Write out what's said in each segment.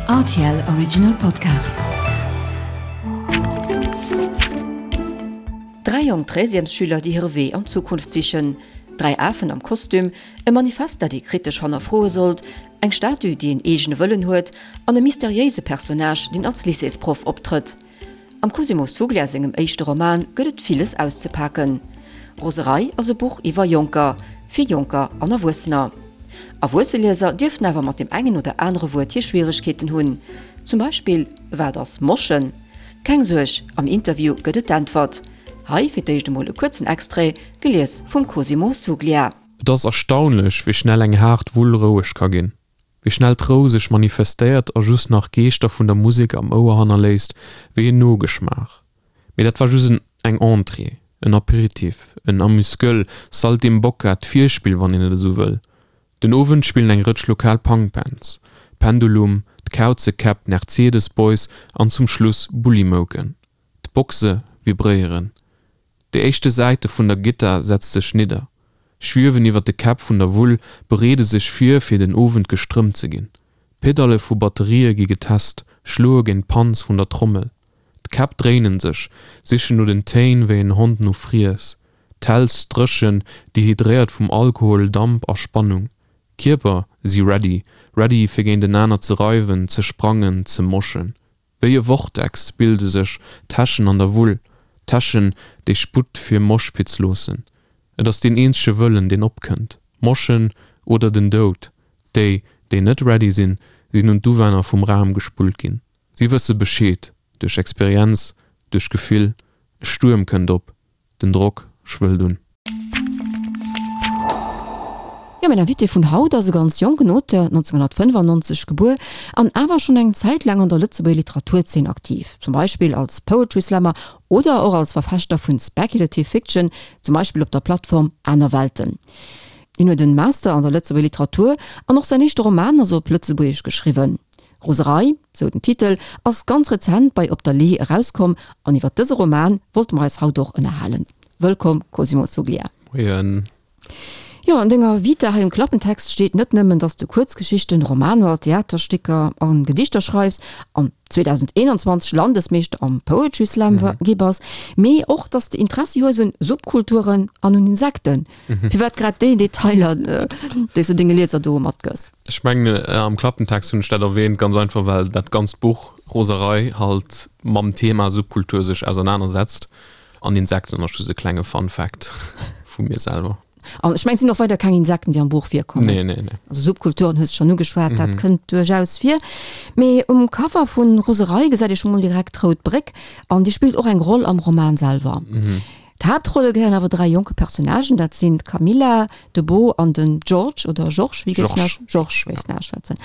Rtl Original Podcast. Dräi jonk Treizièmesschüler, déi hire Wee an d'Zukunft sichen, dräi Afen am Kostüm, e Manifest, dat ee kritesch hannerfroe sollt, eng Statue, déi en eegene Wëllen huet, an e mysteriéise Personnage, deen als Lycéesproff optrëtt. Am Cosimo Suglia sengem éischte Roman gëtt et villes auszepaken. Roserei ass e Buch iwwer Jonker, fir Jonker an Erwuessener. Erwuesse Lieser dierften awer mat dem engen oder anere Wuert hir Schwieregkeeten hunn. Zum Beispill, Wat ass Moschen? Keng Suerg, am Interview gëtt et d'Äntwert. Hei fir d'éischt emol e kuerzen Extrait, gelies vum Cosimo Suglia. Et ass erstaunlech, wéi schnell eng haart Wull roueg ka ginn. Wéi schnell d'Rou sech manifestéiert a just nach Geeschter vun der Musek am Ouer hannerléisst, wéi en Nogeschmaach. Mee dat war just en eng Entrée, en Apéritif, en Amuse-gueule, Saltimbocca, d'Virspill, wann een et esou wëll. Den Owend spillen eng Rëtsch lokal Punkbands, Pendulum, d'Kauzekäpp, d'Mercedes Boys an zum Schluss Bullymouken. D'Boxe vibréieren. Déi éischte Säite vun der Gittar setzt sech nidder, schwiewen iwwer de Käpp vun der Wull, bereede sech vir, fir den Owend gestrëmmt ze ginn. D'Pedalle vu Batterië gi getest, schloe géint d'Panz vun der Trommel. D'Käpp dréinen sech, sichen no den Téin wéi en Hond no Friess. D'Häls dréchen, dehydréiert vum Alkohol, Damp a Spannung. D'Kierper si ready, ready fir géint enaner ze reiwen, ze sprangen, ze moschen. Wéi e Vortex bilde sech Täschen an der Wull, Täschen, déi Sputt fir Moshpits loossen. Et ass deen eenzege Wëllen, deen opkënnt, Moshen oder den Doud. Déi, déi net ready sinn, sinn un d'Uwänner vum Raum gespullt ginn. Si wësse Bescheed, duerch Experienz, duerch Gefill, e Stuerm kënnt op. Den Drock schwëllt un. Jo, mäin Invité vun haut ass e ganz jonken Auteur, 1995 gebuer an awer schonn eng Zäit laang an der Lëtzebuerger Literaturzeen aktiv, zum Beispill als Poetry Slammer oder och als Verfechter vun Speculative Fiction, zum Beispill op der Plattform Aner Welten. Hien huet en Master an der Lëtzebuerger Literatur an och säin éischte Roman ass op Lëtzebuergesch geschriwwen. Roserei, sou den Titel, ass ganz rezent bei Op der Lee erauskomm an iwwer dëse Roman wollte mer eis haut och ënnerhalen. Wëllkomm Cosimo Suglia. Moien. Jo, an denger Vita hei um Klappentext steet net nëmmen, dass de Kuerzgeschichten, Romaner, Theaterstécker a Gedichter schreifs an 2021 Landesmeeschter am Poetry Slam gi bass, mee och, dass de Interessi hues un Subkulturen an un Insekten. Firwat grad déi Detailer, déi s de denge Lieser do matgëss? Ech mengen, am Klappentext hunn ech dat erwähnt, ganz einfach well dat ganzt Buch Roserei halt mam Thema Subkultur sech ausernanersetzt an Insekten ass just e klenge Fun Fact vu mir selwer. An ech mengen, et sinn och weider keng Insekten, déi am Buch virkommen. Nee, nee, nee. Also Subkulturen hues de schonn ugeschwat, dat kënnt duerchaus vir. Mee um Cover vu Roserei gesäit ee scho mol direkt d'Rout Bréck an déi spillt och eng Roll am Roman selwer. D'Haaptrolle gehéieren awer 3 jonke Personnagen, dat sinn d'Camilla, de Beau an den George oder Georges, wéi géifs du Georges wéi s auschwätzen.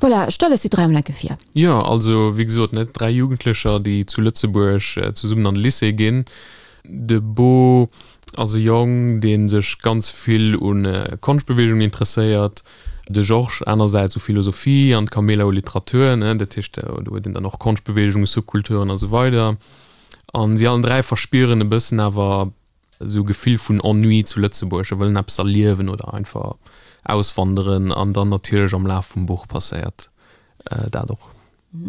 Voilà, stell eis déi 3 emol enke vir. Jo, also wéi gesot, ne, 3 Jugendlecher, déi zu Lëtzebuerg zesummen an de Lycée ginn. De Beau ass e Jong, dee sech ganz vill u Konschtbeweegungen interesséiert, de Georges anersäits u Philosophie an d'Camilla u Literatur, ne, dat heescht, do huet een dann och Konschtbeweegungen, Subkulturen a sou weider. An si allen 3 verspieren e bëssen awer esou e Gefill vun Ennui zu Lëtzebuerg a wëllen eppes erliewen oder einfach auswanderen. An dann natierlech am Laf vum Buch passéiert dat och.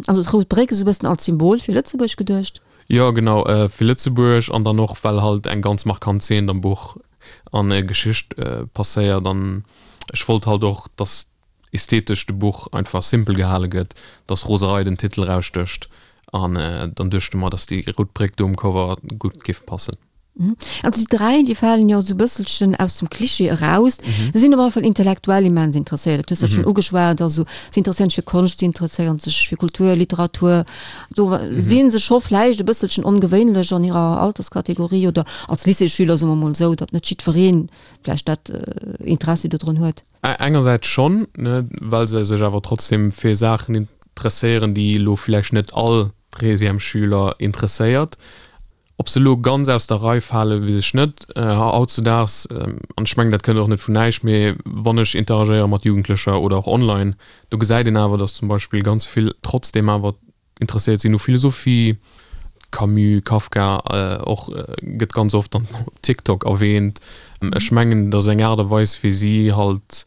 Also d'Rout Bréck esou e bëssen als Symbol fir Lëtzebuerg geduecht? Jo genau, fir Lëtzebuerg an dann och well halt eng ganz markant Zeen am Buch an Geschicht passéiert. An ech wollt halt och, dass ästhetesch de Buch einfach simpel gehale gëtt, dass Roserei den Titel erausstécht an dann duechte mer, dass déi rout Bréck do um Cover gutt géif passen. Also déi 3, déi falen jo esou e bësselchen aus dem Klischee eraus. Se sinn op alle Fall intellektuell immens interesséiert, dat hues de schonn ugeschwat. Also si interesséieren sech fir Konscht, si interesséieren sech fir Kultur, Literatur. Do si se scho vläicht e bësselchen ongewéinlech an hirer Alterskategorie oder als Lycéesschüler, soe mer mol esou, datt net jiddweree vläicht dat Interessi dodrun huet. Engersäits schonn, ne, well se sech awer trotzdem fir Saachen interesséieren, déi elo vläicht net all Treizièmesschüler interesséiert. Ob se elo ganz aus der Rei falen, weess ech net. Hautzudaags, an ech mengen, dat kënnt och net vun näischt, mee wann ech interagéiere mat Jugendlecher oder och online, do gesäit een awer, datt zum Beispill ganz vill trotzdem awer interesséiert sinn u Philosophie, Camus, Kafka och gëtt ganz oft dann op TikTok erwähnt. Ech mengen, et ass eng Aart a Weis fir si halt.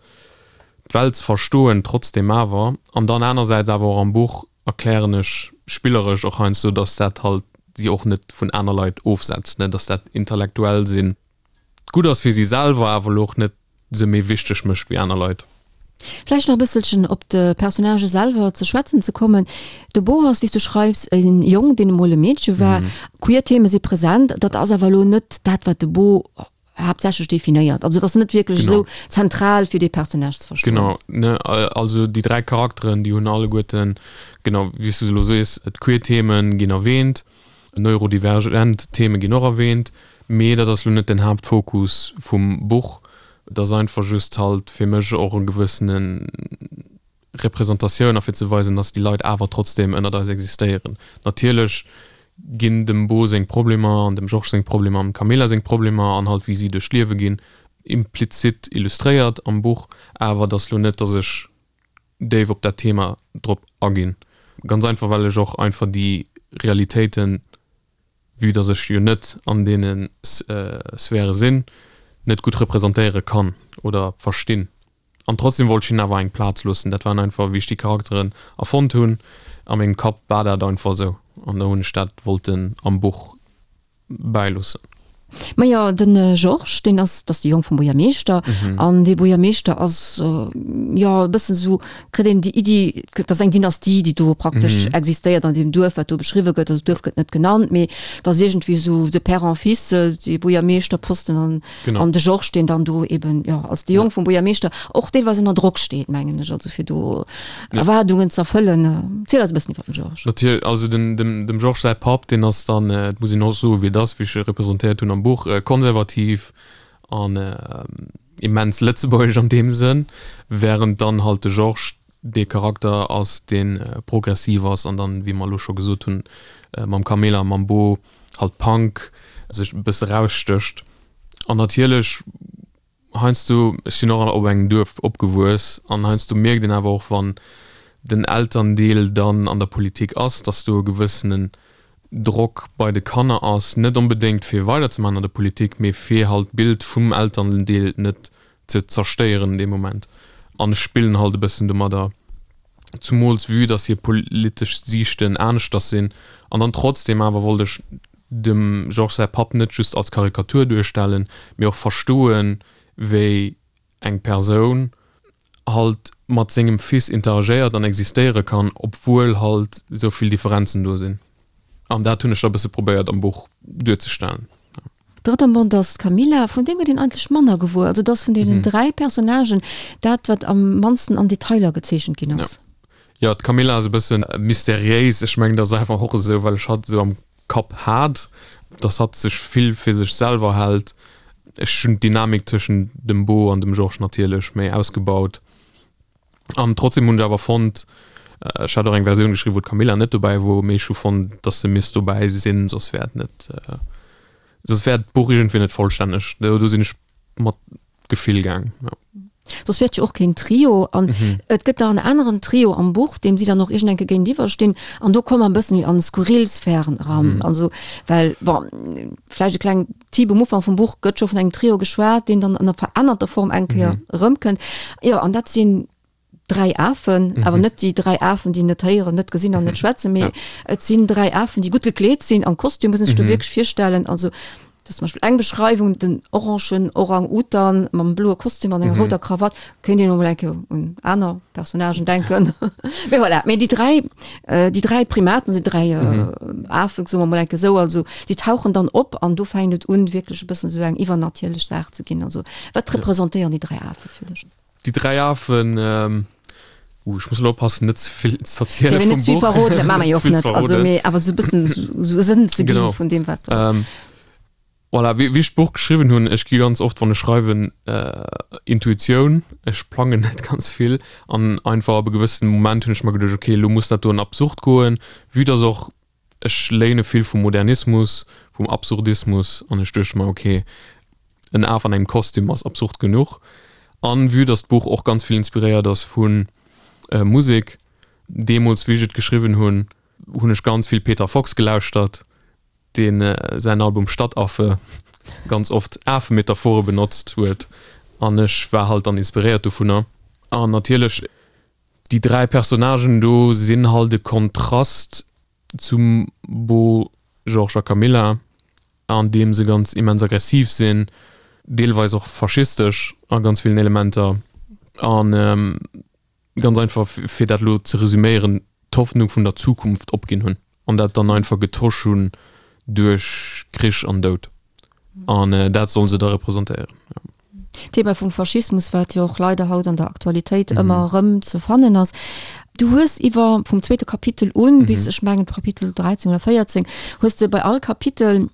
d'Welt ze verstoen, trotzdem awer. An dann anersäits awer och am Buch erklären ech spilleresch och heiansdo, dass dat halt si och net vun aner Leit ofsetzt, ne, dass dat intellektuell sinn gutt ass fir si selwer, awer elo och net se méi wichteg mécht wéi aner Leit. Vläicht nach e bësselchen op de Personnagë selwer ze schwätzen ze kommen. De Bo ass, wéi s du schreifs, e Jong, deen emol e Meedche war. Queer Theme si present, dat ass awer elo net dat, wat de Bo haaptsächlech definéiert. Also et ass net wierklech esou zentral, fir dee Personnage ze verstoen. Genau, ne, also déi 3 Charakteren, déi hunn alleguerten, genau wéi s du se elo sees, d'queer Themen ginn erwähnt, neurodivergent Theme ginn och erwähnt, mee dat ass elo net den Haaptfokus vum Buch. Et ass einfach just halt fir mech och e gewëssene Representatioun a fir ze weisen, dass déi Leit awer trotzdem ënnert eis existéieren. Natierlech ginn dem Bo seng Problemer an dem Georges seng Problemer an dem Camilla seng Problemer an halt wéi si duerch d'Liewe ginn implizit illustréiert am Buch, awer et ass lo net, dass ech déif op dat Thema drop aginn. Ganz einfach well ech och einfach déi Realitéiten, vue dass ech jo net an deene Sphäre sinn, net gutt representéiere kann oder verstinn. An trotzdem wollt ech hinnen awer eng Plaz loossen. Dat waren einfach, wéi ech déi Charakteren erfonnt hunn, a mengem Kapp war dat einfach esou. An da hunn ech dat wollten am Buch bäiloossen. Majo, de Georges, deen ass, dat ass de Jong vum Buergermeeschter. An dee Buergermeeschter ass, jo, e bëssen esou, kritt een déi Iddi, dat ass eng Dynastie, déi do praktesch existéiert an deem Duerf, wat do beschriwwe gëtt. Also d'Duerf gëtt net genannt, mee et ass iergendwéi esou de Père en fils, dee Buergermeeschterposten an Genau. An de Georges, deen dann do eben, jo, als de Jong vum Buergermeeschter och deelweis ënner Drock steet, mengen ech, also fir do Ja. Erwaardungen ze erfëllen. Ziel eis e bëssen iwwer den Georges. Natierlech, also den, dem, dem Georges säi Papp, deen ass dann, et muss een och soen, wéi et ass, wéi ech e representéiert hunn am Buch, konservativ an immens lëtzebuergesch an deem Sënn, während dann halt de Georges dee Charakter ass, dee progressiv ass an dann, wéi mer elo scho gesot hunn, mam Camilla a mam Bo halt Punk sech e bësse rausstécht. An natierlech heiansdo, ech sinn och op engem Duerf opgewuess, an heiansdo mierkt een awer och, wann den Elterndeel dann an der Politik ass, datt do e gewëssenen Drock bei de Kanner ass, net onbedéngt fir weiderzemaachen an der Politik, mee fir halt d'Bild vum Elterndeel net ze zerstéieren dee Moment. An ech spillen halt e bëssen domadder, zumools vue dass hir politesch Siichten aneschters sinn. An dann trotzdem awer wollt ech dem Georges säi Papp net just als Karikatur duerstellen, mee och verstoen, wéi eng Persoun halt mat sengem Fils interagéiert an existéiere kann, obwuel halt esou vill Differenzen do sinn. An dat hunn ech da e bësse probéiert am Buch duerzestellen. Drëtt am Bond ass d'Camilla, vun deem gëtt een eigentlech manner gewuer. Also et ass vun deenen 3 Personnagen dat, wat am mannsten an Detailer gezeechent ginn ass. Jo, d'Camilla ass e bësse mysteriéis. Ech mengen, dat ass einfach och esou, well ech hatt esou am Kapp hat, dass hatt sech vill fir sech selwer hält. Ech hunn d'Dynamik tëschent dem Beau an dem Georges natierlech méi ausgebaut. An trotzdem hunn ech awer fonnt, ech hat och eng Versioun geschriwwen, wou d'Camilla net dobäi wor, mee ech hu fonnt, dass se misst dobäi sinn, soss wär et net, soss wär d'Buch iergendwéi net vollstänneg. Do, do sinn ech mat Gefill gaang, jo. Soss wär et jo och keen Trio. An et gëtt nach en aneren Trio am Buch, deem si dann och iergend eng Kéier géintiwwer stinn. An do komme mer e bëssen méi an skurril Sphären eran. Also, well, bon, vläicht e kleng Typ um Ufank vum Buch gëtt scho vun engem Trio geschwat, deen dann an der verännerter Form eng Kéier erëmkënnt. Jo, an dat sinn dräi Afen, awer net déi dräi Afen, déi net héieren, net gesinn an net schwätzen, mee et sinn dräi Afen, déi gutt gekleet sinn, am Kostüm, muss een sech do wierklech virstellen. Also dat ass zum Beispill eng Beschreiwung, den orangen Orang-Utan mam bloe Kostüm an enger rouder Krawatt, kéint een och mol eng Kéier un aner Personnagen denken. Mee voilà, mee déi dräi, déi dräi Primaten, déi dräi Afen, soe mer mol eng Kéier esou, also déi tauchen dann op an do fänkt et un, wierklech e bëssen esou eng iwwernatierlech Saach ze ginn. Also wat representéieren déi dräi Afe fir dech? Déi dräi Afen, uh, ech muss elo oppassen, net ze vill ze erziele vum Buch. Net ze vill verroden, dat maache mer jo och net, also mee awer esou e bëssen esou e Sënn ze gi vun deem, wat. Voilà, wéi ech d'Buch geschriwwen hunn, ech gi ganz oft, wann ech schreiwen, Intuitioun, ech plangen net ganz vill an einfach ab e gewëssene Moment hunn ech mer geduecht, okay, elo muss dat do an Absurd goen, vue dass och ech léine vill vum Modernismus, vum Absurdismus an ech duecht mer, okay, en Af an engem Kostüm ass absurd genuch an vue dass d'Buch och ganz vill inspiréiert ass vu Musek, deemools wéi ech et geschriwwen hunn, hunn ech ganz vill Peter Fox gelauschtert, deen säin Album Stadtaffe ganz oft Afemetaphore benotzt huet an ech war halt dann inspiréiert dovunner. An natierlech déi 3 Personnagen do sinn halt e Kontrast zum Bo, Georges a Camilla, an deem se ganz immens aggressiv sinn, deelweis och faschistesch a ganz villen Elementer. An ganz einfach, fir dat elo ze resüméieren, d'Hoffnung vun der Zukunft opginn hunn an dat dann einfach getosch hunn duerch Krich an Doud. An dat solle se da representéieren. D'Thema vum Faschismus, wat jo och leider haut an der Aktualitéit ëmmer erëm ze fannen ass. Du hues iwwer, vum zweete Kapitel un bis, ech mengen, Kapitel 13 oder 14, hues de bei all Kapitel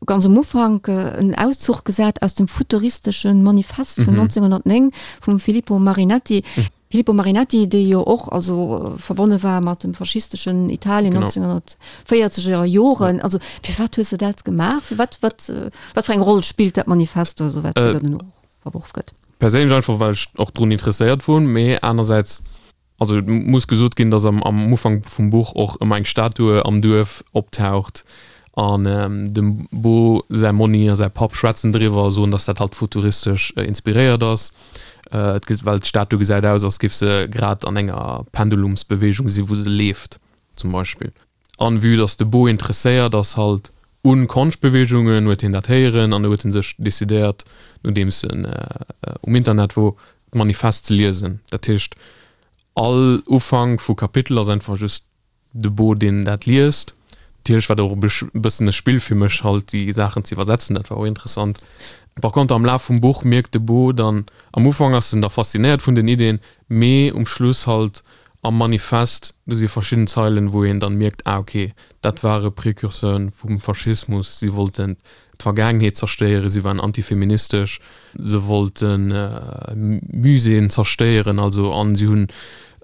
ganz um Ufank en Auszuch gesat aus dem futuristesche Manifest vun 1909 vum Filippo Marinetti. Filippo Marinetti, dee jo och also verbonne war mat dem faschisteschen Italien 1940 er Joren. Also firwat hues de dat gemaach? Firwat, wat, wat fir eng Roll spillt dat Manifest also wat äh, dann och verworf gëtt? Perséinlech einfach well ech och drun interesséiert wor, mee anersäits Also et muss gesot ginn, datt am am Ufank vum Buch och ëmmer eng Statue am Duerf optaucht an dem Bo säi Monni a säi Papp schwätzen driwwer a soen, datt dat halt futuristesch inspiréiert ass. Et ge well d'Statue gesäit aus, als géif se grad an enger Pendulumsbeweegung si wou se leeft zum Beispill. An vue datt de Bo interesséiert ass halt un Konschtbeweegungen, huet hien dat héieren an huet en sech decidéiert, nodeems en um Internet wor, d'Manifest ze liesen. Dat heescht, all Ufank vu Kapitel ass einfach just de Bo, deen dat liest. Natierlech war dat och e bëssen e Spill fir mech, halt déi Saachen ze iwwersetzen, dat war och interessant. Par contre, am Laf vum Buch mierkt de Bo dann, am Ufank ass en da faszinéiert vun den Iddien, mee um Schluss halt am Manifest, do si verschidden Zeilen, wou een dann mierkt, ah ok, dat ware Precurseuren vum Faschismus, si wollten d'Vergaangenheet zerstéieren, si waren antifeministesch, se wollten Muséeën zerstéieren, also an si hunn,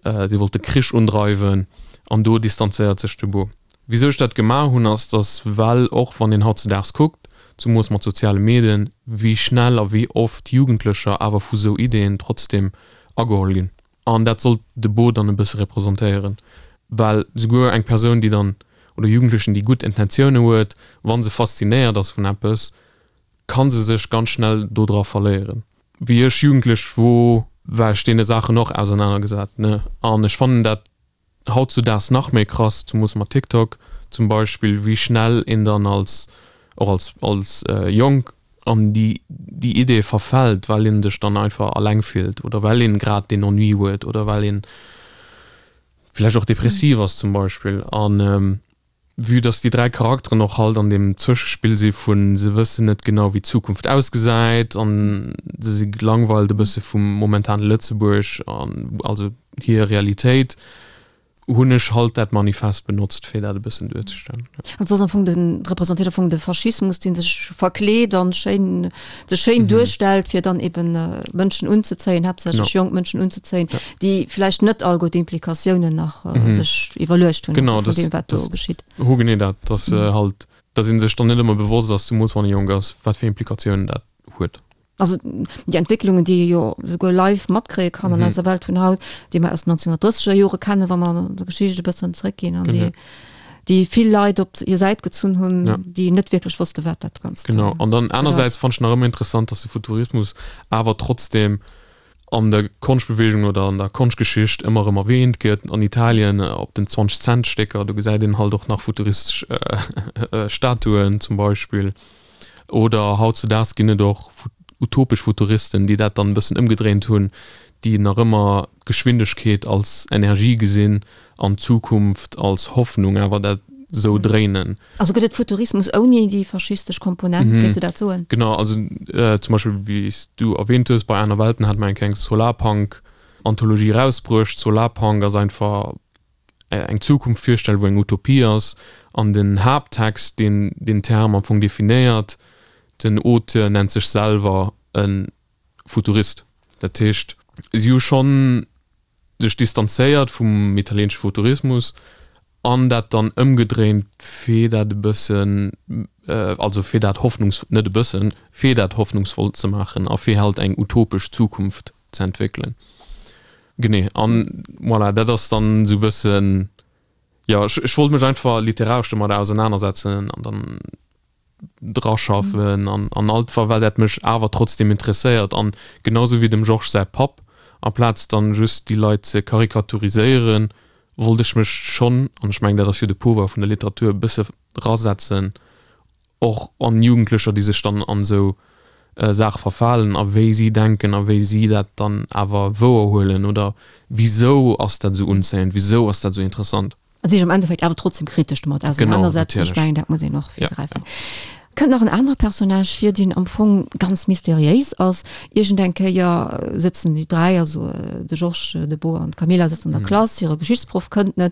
si wollte Krich undreiwen an do distanzéiert sech de Bo. Wisou ech dat gemaach hunn, ass, dass well och wann een hautzedaags kuckt, zumoos mat soziale Medien, wéi schnell a wéi oft Jugendlecher awer vu sou Ideeën trotzdem ageholl ginn. An dat sollt de Bo dann e bësse representéieren, well souguer eng Persoun, déi dann, oder Jugendlechen, déi gutt Intentioune huet, wa se faszinéiert ass vun eppes, ka se sech ganz schnell dodra verléieren. Wéi ech jugendlech wor, war ech deene Saachen och ausernanergesat, ne? An ech fannen dat hautzudaags nach méi krass, zemoos mat TikTok zum Beispill, wéi schnell een dann als, och als, als Jonk an déi, déi Idee verfält, well een sech dann einfach alleng fillt oder well een grad deen Ennui huet oder well een vläicht och depressiv ass zum Beispill. An vue dass déi 3 Charakteren och halt an deem Zwëschespill si vun se wëssen net genau wéi d'Zukunft ausgesäit an se si gelangweilt e bësse vum momentane Lëtzebuerg an also hir Realitéit, hunn ech halt dat Manifest benotzt fir dat e bëssen duerzestellen. Also ass am Fong den, representéiert am Fong de Faschismus, dee sech verkleet an schéin, sech schéin duerstellt, fir dann eben Mënschen unzezéien, haaptsächlech jonk Mënschen unzezéien, déi vläicht net alleguer d'Implikatiounen nach sech iwwerluecht hunn, vun deem wat do geschitt. Genau, genee dat, dass halt, dass ee sech dann net ëmmer bewosst ass, zemools wann ee jonk ass, wat fir Implikatiounen dat huet. Also déi Entwécklungen, déi ee jo souguer live matkréie kann an eiser Welt vun haut, déi mer aus den 1930er Jore kennen, wa mer an der Geschicht e bëssen zréckginn, an déi, déi vill Leit op hir Säit gezunn hunn, déi net wierklech wosste wat dat Ganzt. Genau, an dann anersäits fannen ech nach ëmmer interessant, dass de Futurismus awer trotzdem an der Konschtbewegung oder an der Konschtgeschicht ëmmer erëm erwähnt gëtt. An Italien op den 20 Cent Stécker, do gesäit een halt och nach futuristesch Statuen zum Beispill. Oder hautzudaags ginn et och utopesch Futuristen, déi dat dann e bëssen ëmgedréint hunn, déi nach ëmmer d'Geschwindegkeet als Energie gesinn an d'Zukunft als Hoffnung, awer dat esou dréinen. Also gëtt et Futurismus ouni déi faschistesch Komponent, géifs du dat soen? Genau, also zum Beispill wéi s du erwähnt hues, bei Aner Welten hat mer eng kleng Solarpunk-Anthologie erausbruecht. Solarpunk ass einfach eng Zukunft virstellen, wou eng Utopie ass, an den Haapttext, deen deen Term am Fong definéiert, den Auteur nennt sech selwer e Futurist. Dat heescht, si hu schonn sech distanzéiert vum italieenesche Futurismus an dat dann ëmgedréint, fir dat e bëssen, also fir dat hoffnungs-, net e bëssen, fir dat hoffnungsvoll ze maachen a fir halt eng utopesch Zukunft ze entwéckelen. Genee, an voilà, dat ass dann esou e bëssen, jo, ech, ech wollt mech einfach literaresch domadder ausernanersetzen an dann draschaffen an, an alt, well dat mech awer trotzdem interesséiert an genau sou wéi dem Georges säi Papp. Amplaz dann just déi Leit ze karikaturiséieren, wollt ech mech schonn, an ech mengen dat ass jo de Pouvoir vun der Literatur, e bësse rasetzen och an Jugendlecher, déi sech dann an esou Saache verfalen a wéi si denken a wéi si dat dann awer wouer huelen oder wisou ass dat esou unzéiend, wisou ass dat esou interessant. A sech am Endeffekt awer trotzdem kritesch domat ausenanersetzen. Ech mengen, dat muss een och virgräifen. Kënnt nach en anere Personnage vir, deen am Fong ganz mysteriéis ass. Iergend eng Kéier sëtzen déi 3, also de Georges, de Beau an d'Camilla sëtzen an der Klass, hire Geschichtsproff kënnt net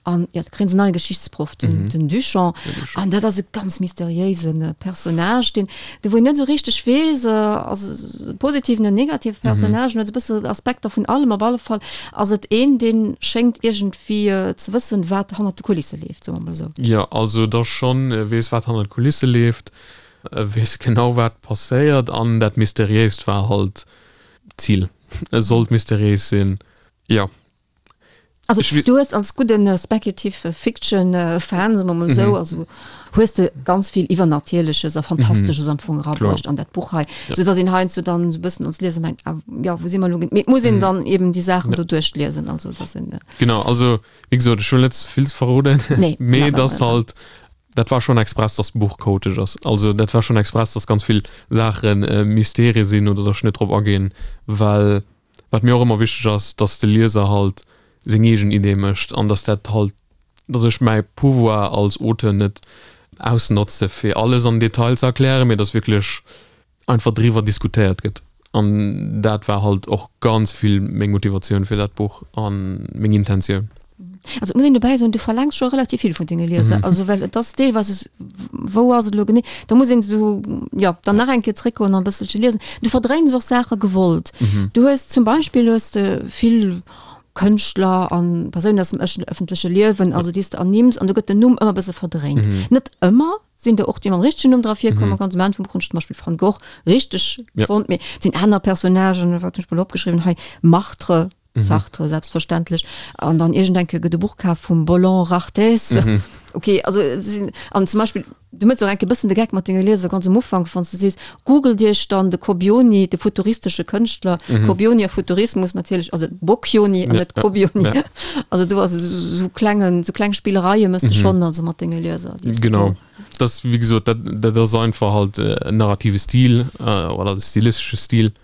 an jo, da kréien se en neie Geschichtsproff, den, den Duchamp. An dat ass e ganz mysteriéise Personnage, deen, de wou een net esou richteg weess, ass e positiven, en negative Personnage, en huet e bësse Aspekter vun allem. Op alle Fall ass et een, dee schéngt iergendwéi ze wëssen, wat hannert de Kulisse leeft, soe mer mol esou. Jo, also et ass schonn, e weess, wat hannert de Kulisse leeft. E weess genau wat passéiert an dat Mysteriéist war halt d'Zil. E sollt mysteriéis sinn, jo. Also du hues als gudden Speculative Fiction Fan, soe mer mol esou, also hues de ganz vill Iwwernatierleches a Fantastesches am Fong erabruecht an dat Buch hei, sou datt een heiansdo dann esou e bëssen als Lieser mengt, ah jo, wou si mer elo? Mee et muss een dann eben déi Saachen do duerchliesen, also dat sinn. Genau, also wéi gesot, ech wëll net ze vill verroden, mee et ass halt Dat war schonn express, dass d'Buch chaotesch ass. Also dat war schonn express, dass ganz vill Saache Mysterie sinn oder dass ech net drop aginn, well wat mir och ëmmer wichteg ass, dass de Lieser halt seng eegen Idee mécht an dass dat halt, dass ech mäi Pouvoir als Auteur net ausnotze fir alles am Detail ze erklären, mee dass wierklech einfach driwwer diskutéiert gëtt. An dat war halt och ganz vill meng Motivatioun fir dat Buch a meng Intentioun. Also et muss een dobäi soen, du verlaangs scho relativ vill vun denge Lieser. Also well et ass deelweis, wou ass et elo genee? Da muss een esou, jo, dann nach eng Kéier zréckgoen an e bësselche liesen. Du verdréins och Saache gewollt. Du hues zum Beispill hues de vill Kënschtler an Persounen aus dem ëffentleche Liewen, also déi s de ernimms an do gëtt den Numm ëmmer e bësse verdréint. Net ëmmer. Sinn der och déi mam richtegen Numm dra virkommen, ganz am Enn vum Buch hunn ech zum Beispill Van Gogh richteg fonnt, mee et sinn aner Personnagen, wat hunn ech mol opgeschriwwen hei, Martre, Sartre selbstverständlech, an dann iergend eng Kéier gëtt e Buch kaf vum Boland Rarthes, ok, also et sinn, an zum Beispill, du méchs och eng Kéier e bëssen de Geck mat denge Lieser ganz um Ufank, wann s de sees, googelt iech dann de Cobioni, de futuristesche Kënschtler, Cobioni a Futurismus natierlech, also Bocchioni an net Cobioni, also do ass esou klengen, esou kleng Spillereie méchs de schonn also mat denge Lieser. Genau, das wéi gesot, dat dat ass einfach halt en narrative Stil oder de stilistesche Stil,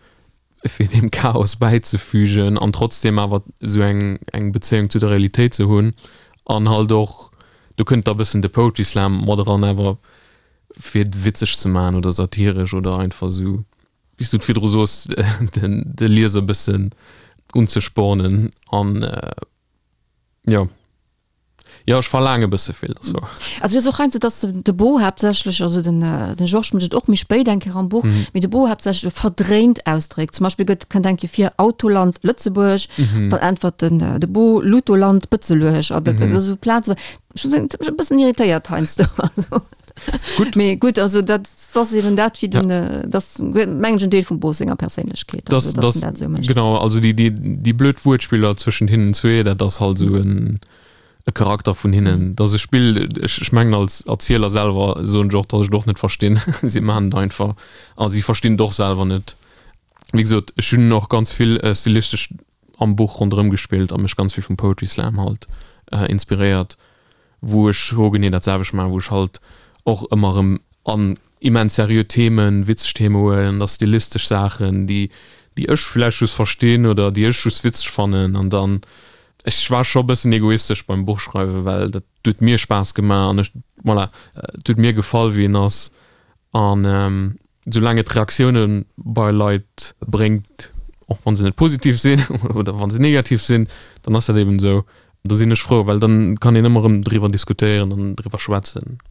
fir deem Chaos bäizefügen an trotzdem awer esou eng eng Bezéiung zu der Realitéit ze hunn an halt och, do kënnt da bëssen de Poetry Slam mat eran, awer fir et witzeg ze maachen oder satiresch oder einfach esou, wéi s du et virdru soos, den de Lieser bëssen unzespornen an jo. Jo, ech verlaange bësse vill, dat ass wouer. Also et ass och heiansdo, dass de Bo haaptsächlech, also den de Georges mécht et och méi spéit eng Kéier am Buch, mee de Bo haaptsächlech e verdréint ausdréckt. Zum Beispill gëtt, kënnt eng Kéier vir Autoland Lëtzebuerg, dann äntwert den de Bo Lutoland Bëtzeluerg. An dat ass esou Plaze, ech muss soen, dat huet mech e bëssen irritéiert heiansdo. Also Gutt. Mee gutt, also dat ass eben dat, wéi den, dat ass mengen ech en Deel vum Bo senger Perséinlechkeet, also dass en dat esou mécht. Genau, also déi, déi, déi blöd Wuertspiller zwëschent hinnen zwee, dat ass halt esou en e Charakter vun hinnen, dass e Spill, ech, ech mengen als Erzieler selwer soen ech och, dass ech et och net verstinn, si maachen et einfach a si verstinn et och selwer net. Wéi gesot, ech hunn och ganz vill stilistesch am Buch ronderëm gespillt a mech ganz vill vum Poetry Slam halt inspiréiert, wou ech ho genee dat selwecht maachen, wou ech halt och ëmmer erëm an immens seriö Themen, witzeg Theme huelen, da stilistesch Saachen, déi déi ech vläicht just verstinn oder déi ech just witzeg fannen an dann, ech war scho bëssen egoistesch beim Buchschreiwen, well dat huet mir Spaass gemaach an ech, voilà, et huet mir gefall wéi en ass an soulaang et Reaktioune bei Leit bréngt, och wa se net positiv sinn oder wa se negativ sinn, dann ass dat eben esou. Da sinn ech frou, well dann kann een ëmmer erëm driwwer diskutéieren an driwwer schwätzen.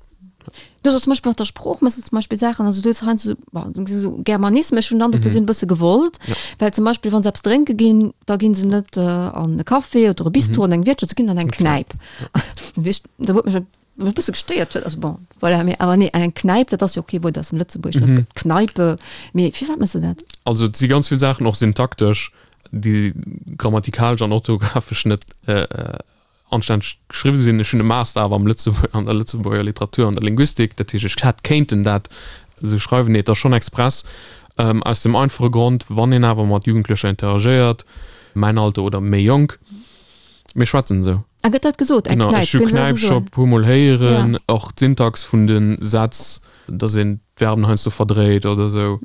Du hues zum Beispill mat der Sprooch méchs de zum Beispill Saachen, also du hues heiansdo esou, esou Germanismen, ech hunn den Androck, déi sinn e bësse gewollt, well zum Beispill wa se eppes drénke ginn, da gi se net an e Café oder e Bistro, an eng Wiertschaft, se ginn an eng Knäip. Da huet mech e bësse gestéiert huet, also bon, voilà, mee awer nee, an eng Knäip, dat ass jo och kee Wuert aus dem Lëtzebuergeschen, et gëtt Kneipe, mee firwat méchs de dat? Also et si ganz vill Saachen och syntaktesch, déi grammatikalesch an orthografesch net anstänneg geschriwwen sinn. Ech hunn e Master awer am Lëtzebuerg, an der Lëtzebuerger Literatur an der Linguistik, dat heescht ech hätt kéinten dat esou schreiwen, nee et ass schonn express, aus dem einfache Grond, wann een awer mat Jugendlecher interagéiert. Mäin Alter oder méi jonk, mir schwätzen esou. A gëtt dat gesot, eng Knäip? Ech hu Knäip scho e puer Mol héieren, och d'Syntax vun de Sätz, datt een d'Verben heiansdo verdréit oder esou.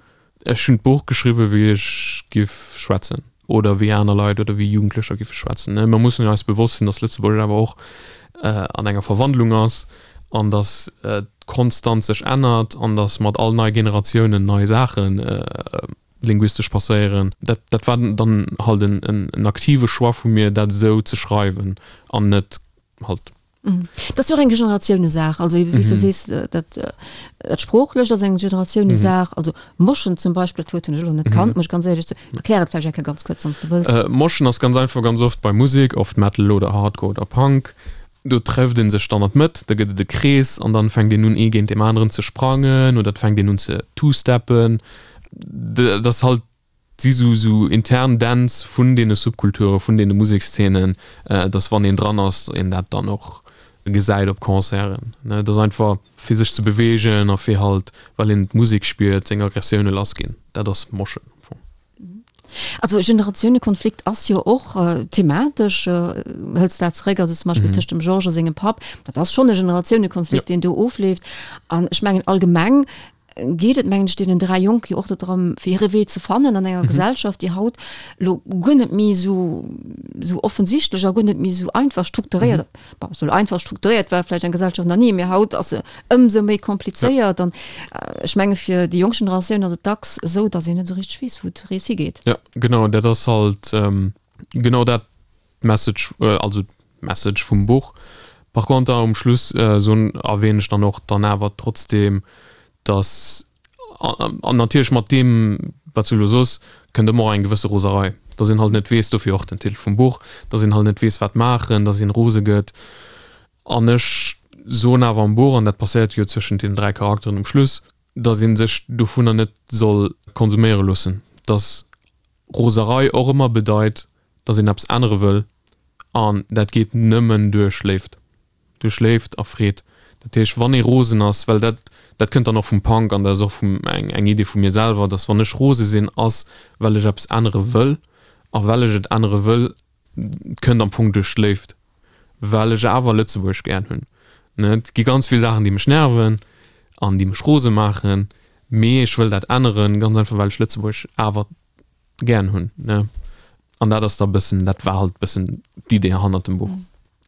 Ech hunn d'Buch geschriwwen, wéi ech giff schwätzen oder wéi aner Leit oder wéi Jugendlecher giffe schwätzen. Mer mussen eis bewosst sinn, datt Lëtzebuergesch awer och an enger Verwandlung ass an datt et konstant sech ännert an datt mat all nei Generatiounen nei Saache linguistesch passéieren. Dat, dat war dann halt en, en aktive Choix vu mir, dat esou ze schreiwen an net halt. Dat ass jo och eng Generatiounesaach. Also wéi s de sees, dat, dat Sproochlecht ass eng Generatiounesaach. Also Moschen zum Beispill, dat Wuert hunn ech elo net kannt, muss ech ganz éierlech soen. Erklär et vläicht eng Kéier ganz kuerz, wann s de wëlls. Moschen ass ganz einfach ganz oft bei Musek, oft Metal oder Hardcore oder Punk. Do trefft ee sech dann an d'Mëtt, da gëtt et e Krees an dann fänkt een un ee géint deem aneren ze sprangen oder et fänkt een un ze two-steppen. Dat ass halt, si sou sou intern Dänz vun deene Subkulture, vun deene Musekszenen, dass wann een dran ass, een dat dann och gesäit op Concerten. Et ass einfach fir sech ze beweegen a fir halt, well een d'Musek spiert, seng Aggressioune lassginn. Dat ass Moshen am Fong. Also Generatiounekonflikt ass jo och thematesch, hëls dat zeréck, also zum Beispill tëscht dem Georges a sengem Papp, dat ass schonn e Generatiounekonflikt, deen do ofleeft. An ech mengen allgemeng geet et, mengen ech, deenen 3 Jonke jo och do drëm, fir hire Wee ze fannen an enger Gesellschaft, déi haut elo guer net méi esou esou offensichtlech a guer net méi esou einfach strukturéiert, bon, esou einfach strukturéiert war vläicht eng Gesellschaft nach ni, mee haut ass se ëmsou méi komplizéiert. An ech menge fir déi jonk Generatioun ass et dacks esou, datt een net esou richteg weess, wou d'Rees higeet. Jo, genau, dat ass halt genau dat d'Message, also d'Message vum Buch. Par conter um Schluss soen, erwähnen ech dann och dann awer trotzdem, dass, an natierlech mat deem wat s du elo soos, kënnt ëmmer och eng gewësse Roserei, dass een halt net weess, dofir och den Titel vum Buch, dass een halt net weess wat maachen, dass een rose gëtt. An ech soen awer am Buch, an dat passéiert jo zwëschent deenen 3 Charakteren um Schluss, dass ee sech dovunner net soll konsuméiere loossen, dass Roserei och ëmmer bedeit, dass een eppes ännere wëll an dat geet nëmmen duerch Léift, duerch Léift a Freed. Dat heescht, wann ee rosen ass, well dat, dat kënnt dann och vum Punk an dat ass och vum, eng, eng Idee vu mir selwer, dass wann ech rose sinn, ass well ech eppes ännere wëll a well ech et ännere wëll, kënnt am Fong duerch d'Léift, well ech awer Lëtzebuerg gären hunn. Et gi ganz vill Saachen, déi mech nerven an déi mech rose maachen, mee ech wëll dat änneren, ganz einfach well ech Lëtzebuerg awer gären hunn. An dat ass da bëssen, dat war halt bëssen d'Idee hannert dem Buch.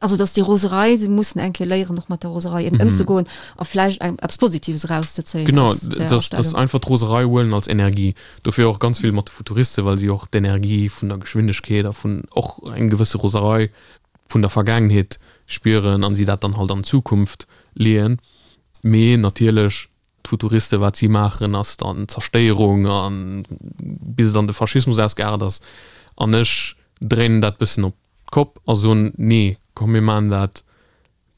Also dass déi Roserei, se mussen eng Kéier léieren och mat der Roserei eben ëmzegoen a vläicht eng eppes Positives erauszezéien Genau, aus där dass, dass Astellung. einfach d'Roserei huelen als Energie. Dofir och ganz vill mat de Futuriste, well si och d'Energie vun der Geschwindegkeet a vun och eng gewësse Roserei vun der Vergaangenheet spieren an si dat dann halt an d'Zukunft leeën. Mee natierlech d'Futuriste, wat si maachen, ass dann Zerstéierung an bis et an de Faschismus ausgeaart ass. An ech dréinen dat bëssen op d'Kopp a soen, nee, komm mir maachen dat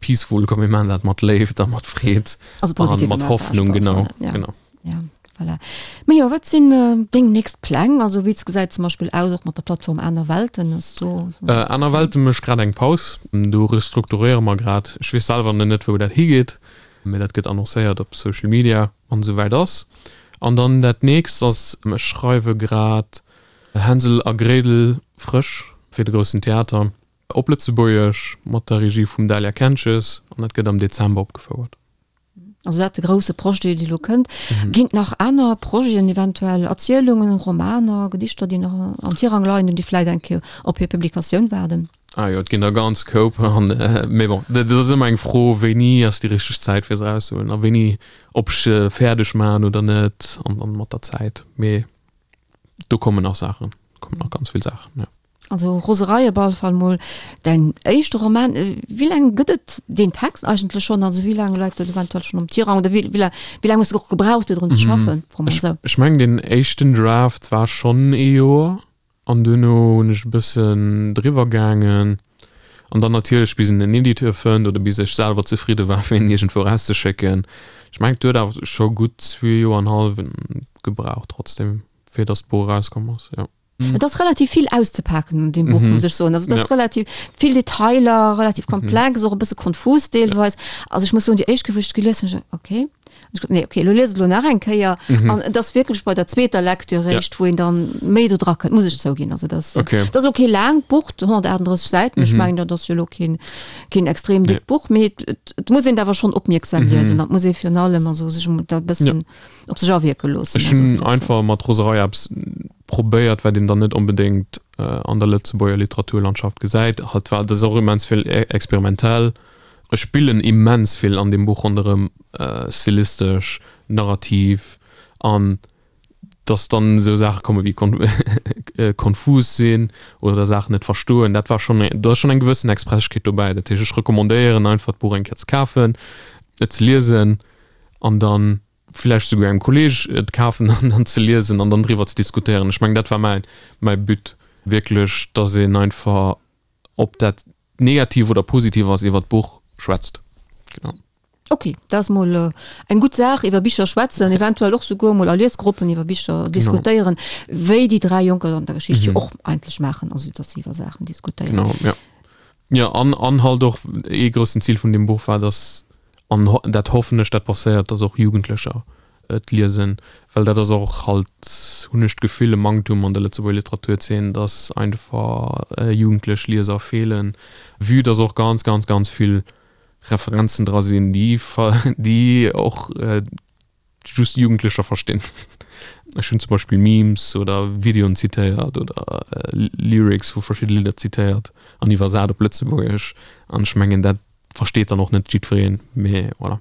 peaceful, komm mir maachen dat mat Léift a mat Freed Also a mat Message Hoffnung, genau, ja. genau. Ja, voilà. Mee jo, wat sinn deng nächst Pläng? Also wéi gesäit zum Beispill aus och mat der Plattform Aner Welten? Ass do Äh, Aner Welten mécht grad eng Paus, do restrukturéiere mer grad. Ech weess selwer nach net wou dat higeet, mee dat gëtt annoncéiert op Social Media wann esou wäit ass. An dann dat nächst ass, ech schreiwe grad Hänsel a Gretel frësch fir de Groussen Theater op Lëtzebuergesch mat der Regie vum Dahlia Kentges an dat gëtt am Dezember opgefouert. Also dat de grousse Projet, dee elo kënnt. Ginn et nach aner Projeten, eventuell Erzielungen, Romaner, Gedichter, déi nach am Tirang leien an déi vläit eng Kéier op hir Publikatioun waarden? Ah jo, et ginn der ganz Koup an, mee bon, dat ass ëmmer eng Fro, wéini ass déi richteg Zäit fir se erauszehuelen a wéini, ob ech se fäerdeg maachen oder net an dann mat der Zäit. Mee Do kommen nach Saachen, kommen nach ganz vill Saachen, jo. Also Roserei op alle Fall mol däin éischte Roman. Wéi laang gëtt et deen Text eigentlech schonn? Also wéi laang läit dat eventuell schonn am Tirang oder wéi wéi laang hues de och gebraucht fir drun ze schaffen? Froe mer esou. Ech mengen deen éischten Draft war schonn ee Joer an duerno hunn ech e bëssen driwwer gaangen an dann natierlech bis een en Editeur fënnt oder bis ech selwer zefridde war fir en iergendwou erauszeschécken. Ech mengen et huet awer scho gutt zwee Joer an hallwen gebraucht trotzdem fir datt d'Buch erauskomm ass, jo. Et ass relativ vill auszepaken un deem Buch, muss ech soen. Also et ass relativ vill Detailer, relativ komplex, och e bësse konfus deelweis. Also ech muss soen, déi éischt Kéier wou ech et gelies hunn, hu ech geduecht, okay. Ech gesot, nee, okay, elo lies et elo nach eng Kéier. Mhm. An et ass wierklech bei der zweeter Lecture réischt, ja. wou een dann méi do dra kënnt, muss ech zouginn. Also das, okay. das ass okay laangt Buch, 138 Säiten, ech mhm. mengen, dat ass jo elo keen, keen extrem dickt nee. Buch, mee et, et, et muss een awer schonn opmierksam mhm. liesen, dat muss ee virun allem also sech dat bëssen ja. op sech awierke loossen. Ech hunn einfach mat Roserei eppes probéiert, wat een dann net onbedéngt äh, an der Lëtzebuerger Literaturlandschaft gesäit. Halt war das och immens vill e-, experimentell. Ech spillen immens vill an deem Buch ronderëm, stilistesch, narrativ, an dass dann esou Saache komme wéi konfus sinn oder Saachen net verstoen, dat war schonn, do ass schonn eng gewëssen Expresschkeet dobäi. Dat heescht, ech recommandéieren einfach d'Buch eng Kéier ze kafen, et ze liesen an dann vläicht souguer engem Kolleeg et kafen an dann ze liesen an dann driwwer ze diskutéieren. Ech mengen, dat war mäin, mäi But wierklech, dass een einfach, ob dat negativ oder positiv ass, iwwer d'Buch schwätzt. Genau. Ok, dat ass mol eng gutt Saach, iwwer Bicher schwätzen, eventuell och souguer mol a Liesgruppen iwwer Bicher diskutéieren, wéi déi 3 Jonker an der Geschicht jo och eigentlech maachen, also datt se iwwer Saachen diskutéieren. Genau, ja. Jo, an, an halt och ee groussen Zil vun deem Buch war, datt, an dat hoffen ech, dat passéiert, datt och Jugendlecher et liesen, well dat ass och halt, hunn ech d'Gefill, e Manktum an der Lëtzebuerger Literaturzeen, dass einfach jugendlech Lieser feelen, vue dass och ganz, ganz, ganz vill Referenzen dra sinn, déi, déi och just Jugendlecher verstinn. Ech hunn zum Beispill Memes oder Videoen zitéiert oder Lyrics vu verschidde Lidder zitéiert an iwwersat op Lëtzebuergesch an ech mengen, dat versteet dann och net jiddwereen, mee voilà.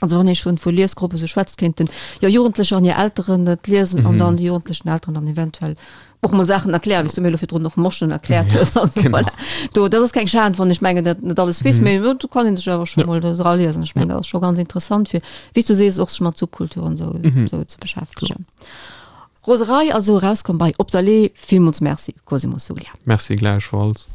Also wann ee schonn vu Liesgruppe sou schwätzt, kéinten jo Jugendlecher an hir Elteren et liesen an dann déi jugendlechen Elteren dann eventuell och mol Saachen erklären, wéi s du mir elo virdrun och Moschen erkläert hues. Also Genau. voilà. Do, dat ass keng Schan, wann ech mengen, dat net alles weess, mee do kann een sech awer scho mol do draliesen. Ech mengen, dat ass scho ganz interessant fir, wéi s du sees, och sech mat Subkulturen sou, sou ze beschäftegen. Roserei also erauskomm bei Op der Le'h. Villmools Merci, Cosimo Suglia. Merci gläichfalls.